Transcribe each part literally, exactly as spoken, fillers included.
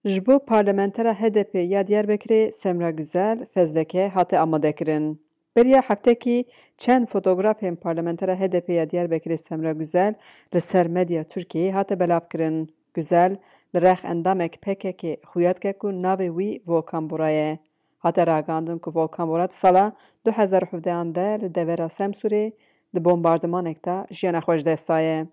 Ji bo parlamentera H D P ya Diyarbekirê Semra Güzel fezleke hate amadekirin. Beriya heftekî çend fotografên parlamentera H D P ya Diyarbekirê Semra Güzel li ser medya Tirkiyeyê hate belavkirin. Güzel li rex endamek P K K xuya dike ku navê wî Volkan Bora ye. Hate ragihandin ku Volkan Bora di sala du hezar û hevdehan de li devera Semsûrê di bombardimanek de jiyana xwe ji dest daye.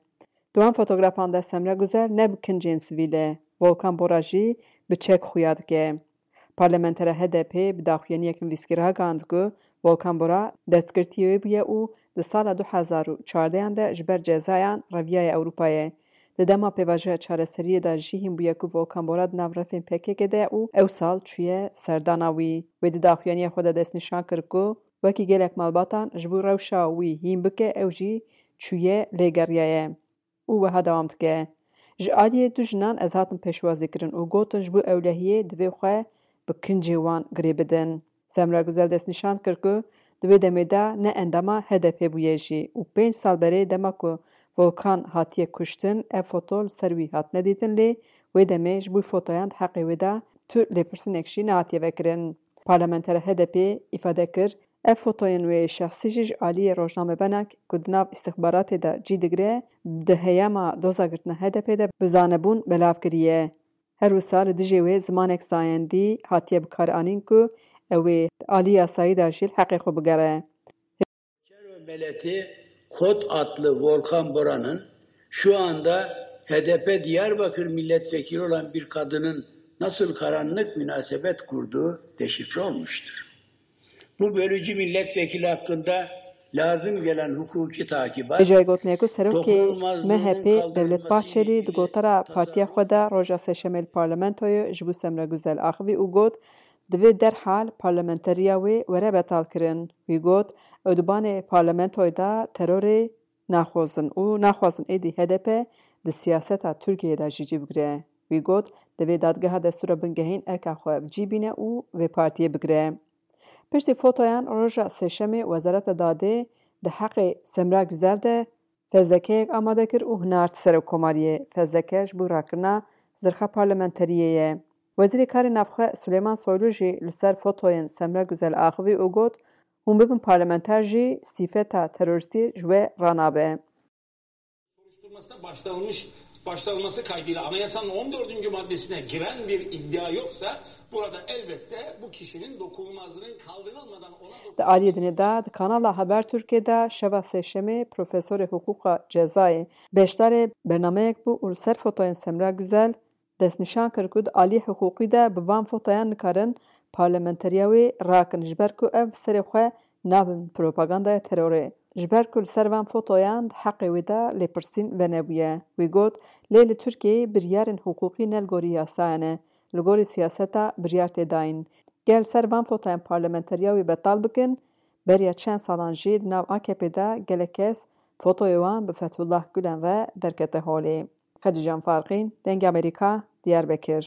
Di wan fotografan de Semra Guzel ne bi kincên sivîl e, Volkan Bora jî bi çek xuya dike. Parlamentera H D P bi daxuyaniyek nivîskî ragihand ku Volkan Bora destgirtiyê wê bûye û di sala du hezar û çardehan de ji ber cezayan reviyaye Ewropayê. Di dema pêvajoya çareseriyê de jî hîn bûye ku Volkan Bora di nav refên P K K de ye û ew sal çûye serdana wî. Wê di daxuyaniya xwe de destnîşan kir ku wekî gelek malbatan ji bo rewşa wî hîn bike, ew jî çûye lêgeriyaye. Û wiha dewam dike, Ji aliyê du jinan ez hatim pêşwazîkirin û gotin ji bo ewlehiyê divê xwe bi kincê wan girê bidin. Semra Guzel destnîşan kir ku di wê demê de ne endama H D P bûye jî û pênc sal berê dema ku Volkan hatiye kuştin, ev foto li ser wî hatine dîtin, lê wê demê ji bo fotoyan di heqê wê de tu lêpirsînek jî nehatiye vekirin. Parlamentera H D P îfade kir, ev fotoyên wê şexsî jî ji aliyê rojnamevanek ku di nav îstixbaratê de cî digire, di heyama doza girtina H D P de bi zanebûn belav kiriye. Her wisa li dijê wê zimanek zayendî hatiye bikaranîn ku ew ê di alî yasayî de jî li heqê xwe bigere. Çerve Meleti Kot adlı Volkan Bora'nın şu anda H D P Diyarbakır milletvekili olan bir kadının nasıl karanlık münasebet kurduğu deşifre olmuştur. Bu bölücü milletvekili hakkında lazım gelen hukuki takibat, Êjayî gotinê ku serokê M H P Devlet Bahçelî di gotara partiya xwe de roja Sêşemê li parlamentoyê ji bo Semra Guzel axivî û got, Divê derhal parlamenteriya wê were betalkirin. Wî got, Ew di banê parlamentoyê de terorê naxwazin û naxwazin êdî H D P di siyaseta Tirkiyeyê de jî cî bigire. Wî got, Divê dadgeha destûra bingehîn erka xwe bi cî bîne û vê partiyê bigire. Piştî fotoyan roja Sêşemê Wezareta Dadê di heqê Semra Güzel de fezlekeyek amade kir û hinart Serokkomariyê. Fezleke ji bo rakirina zirxa parlamenteriyê ye. Wezîrê Karê Navxwe Suleyman Soylu jî li ser fotoyên Semra Güzel axivî û got, Hûn bibin parlamenter jî sîfeta terorîstî ji we ranabe. Soruşturmasına başlanılmış başlanılması kaydıyla anayasanın on dördüncü maddesine giren bir iddia yoksa burada elbette bu kişinin dokunulmazlığının kaldırılmadan ona Di aliyê dinê de di kanala Haber Türkiye de şeva Sêşemê profesorê hiqûqa cezayê beşdarê bernameyek bû û li ser fotoyên Semra Güzel destnîşan kir ku di aliyê hiqûqî de bi van fotoyan nikarin parlamenteriya wê rakin, ji ber ku ev bi serê xwe nabin propagandaya terorê. Ji ber ku li ser van fotoyan di heqê wê de lêpirsîn venebûye. Wî got, Lê li Tirkiyeyê biryarên hiqûqî ne li gorî yasayan e, li gorî siyaseta biryar tê dayîn. Ger li ser van fotoyan parlamenteriya wê betal bikin, beriya çend salan jî di nav A K P de gelek kes fotoyê wan bi Fethullah Gulen re derkete holê. Xedîcan Farqîn, Dengê Amerîka, Diyarbekir.